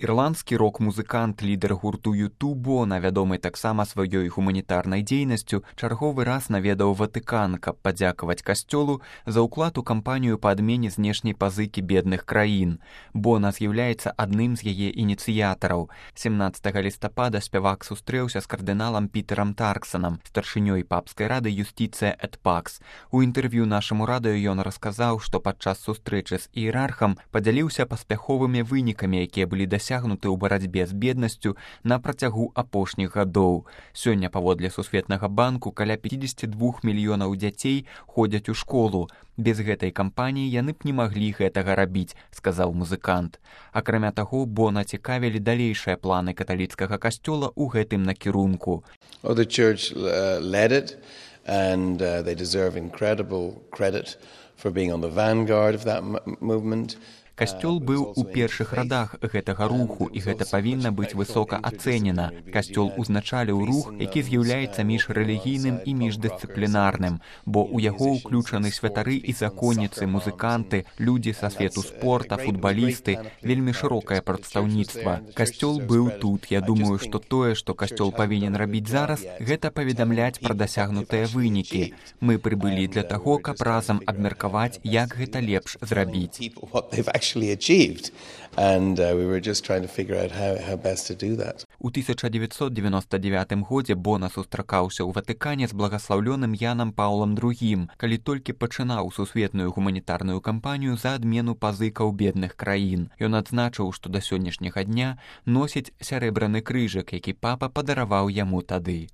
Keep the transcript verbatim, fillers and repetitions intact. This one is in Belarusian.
Ірландскі рок-музыкант, лідар гурту ю ту Бона, вядомы таксама сваёй гуманітарнай дзейнасцю, чарговы раз наведаў Ватыкан, каб падзякаваць касцёлу за ўклад у кампанію па адмене знешняй пазыкі бедных краін. Бона з'яўляецца адным з яе ініцыятараў. семнаццатага лістапада спявак сустрэўся з кардыналам Пітерам Тарксанам, старшынёй папскай рады Юстицыя эт Пакс. У інтэрв'ю нашаму радыё ён расказаў, што падчас сустрэчы з іерархам падзяліўся паспяховымі вынікамі, якія былі дасягнуты ў барацьбе з беднасцю на працягу апошніх гадоў. Сёння, паводле Сусветнага банку, каля пяцьдзесят два мільёнаў дзяцей ходзяць у школу. Без гэтай кампаніі яны б не маглі гэтага рабіць, сказаў музыкант. Акрамя таго, Бона цікавілі далейшыя планы каталіцкага касцёла ў гэтым накірунку. Oh, the church uh, led it, and uh, they deserve incredible credit for being on the vanguard of that movement. Касцёл быў у першых радах гэтага руху, і гэта павінна быць высока ацэнена. Касцёл узначаліў рух, які з'яўляецца міжрэлігійным і міждысцыплінарным, бо ў яго ўключаны святары і законніцы, музыканты, людзі са свету спорта, футбалісты, вельмі шырокае прадстаўніцтва. Касцёл быў тут. Я думаю, што тое, што касцёл павінен рабіць зараз, гэта паведамляць пра дасягнутыя вынікі. Мы прыбылі для таго, каб разам абмеркаваць, як гэта лепш зрабіць. Achieved, and uh, we were just trying to figure out how, how best to do that. У тысяча дзевяцьсот дзевяноста дзевятым годзе Бона сустракаўся ў Ватыкане з благаслаўлёным Янам Паўлам другім, калі толькі пачынаў сусветную гуманітарную кампанію за адмену пазыкаў бедных краін. Ён адзначыў, што да сённяшняга дня носіць сярэбраны крыжык, які папа падараваў яму тады.